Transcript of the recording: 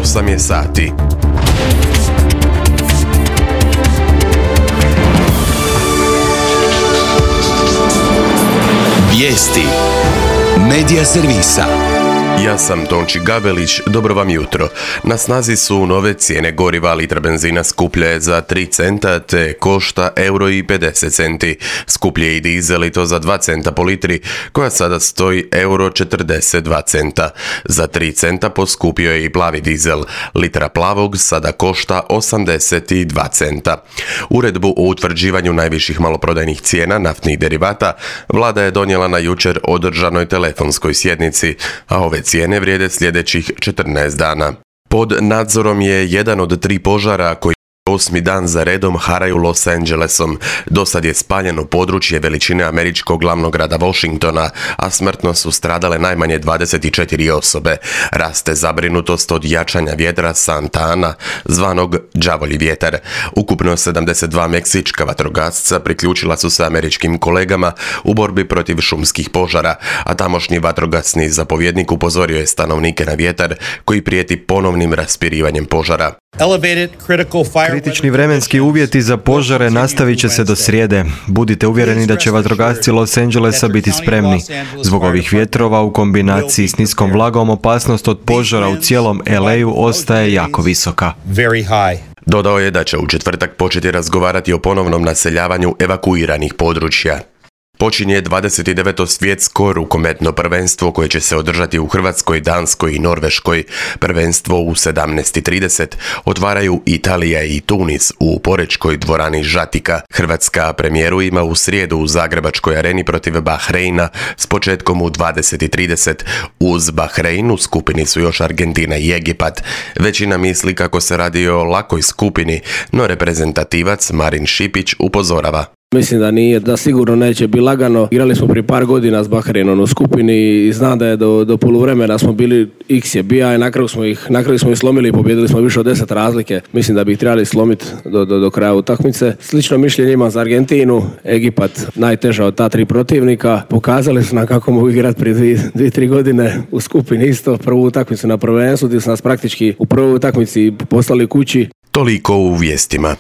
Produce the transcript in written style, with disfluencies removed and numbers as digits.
8 je sati. Vijesti Medija servisa. Ja sam Tonči Gabelić, dobro vam jutro. Na snazi su nove cijene goriva, litra benzina skuplja je za 3 centa te košta €1,50. Skuplje je i dizel i to za 2 centa po litri, koja sada stoji €1,42. Za 3 centa poskupio je i plavi dizel. Litra plavog sada košta 82 centa. Uredbu o utvrđivanju najviših maloprodajnih cijena naftnih derivata vlada je donijela na jučer održanoj telefonskoj sjednici, a ove cijene vrijede sljedećih 14 dana. Pod nadzorom je jedan od 3 požara koji 8. dan za redom haraju Los Angelesom. Dosad je spaljeno područje veličine američkog glavnog grada Washingtona, a smrtno su stradale najmanje 24 osobe. Raste zabrinutost od jačanja vjetra Santa Ana, zvanog đavolji vjetar. Ukupno 72 meksička vatrogasca priključila su se američkim kolegama u borbi protiv šumskih požara, a tamošnji vatrogasni zapovjednik upozorio je stanovnike na vjetar koji prijeti ponovnim raspirivanjem požara. Kritični vremenski uvjeti za požare nastavit će se do srijede. Budite uvjereni da će vatrogasci Los Angelesa biti spremni. Zbog ovih vjetrova u kombinaciji s niskom vlagom opasnost od požara u cijelom LA-u ostaje jako visoka. Dodao je da će u četvrtak početi razgovarati o ponovnom naseljavanju evakuiranih područja. Počinje 29. svjetsko rukometno prvenstvo koje će se održati u Hrvatskoj, Danskoj i Norveškoj. Prvenstvo u 17:30 otvaraju Italija i Tunis u porečkoj dvorani Žatika. Hrvatska premijeru ima u srijedu u Zagrebačkoj areni protiv Bahreina s početkom u 20:30. Uz Bahrein u skupini su još Argentina i Egipat. Većina misli kako se radi o lakoj skupini, no reprezentativac Marin Šipić upozorava. Mislim da nije, da sigurno neće biti lagano. Igrali smo prije par godina s Bahreinom u skupini i znam da je do poluvremena smo bili X je bija i na kraju smo ih slomili i pobjedili smo više od 10 razlike. Mislim da bi ih trebali slomiti do kraja utakmice. Slično mišljenje imam za Argentinu. Egipat najteža od ta 3 protivnika. Pokazali su nam kako mogu igrati prije 2-3 godine u skupini isto. Prvu utakmicu na prvenstvu gdje su nas praktički u prvoj utakmici poslali kući. Toliko u vijestima.